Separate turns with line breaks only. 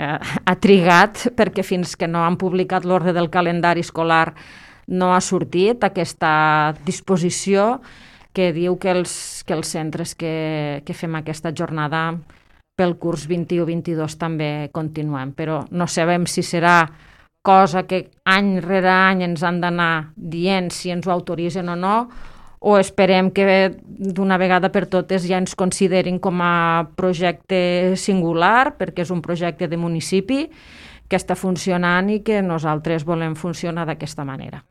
ha trigat perquè fins que no han publicat l'ordre del calendari escolar no ha sortit aquesta disposició que diu que els centres que fem aquesta jornada pel curs 21-22 també continuem, però no sabem si serà cosa que any rere any ens han d'anar dient si ens ho autoritzen o no, o esperem que d'una vegada per totes ja ens considerin com a projecte singular, perquè és un projecte de municipi que està funcionant i que nosaltres volem funcionar d'aquesta manera.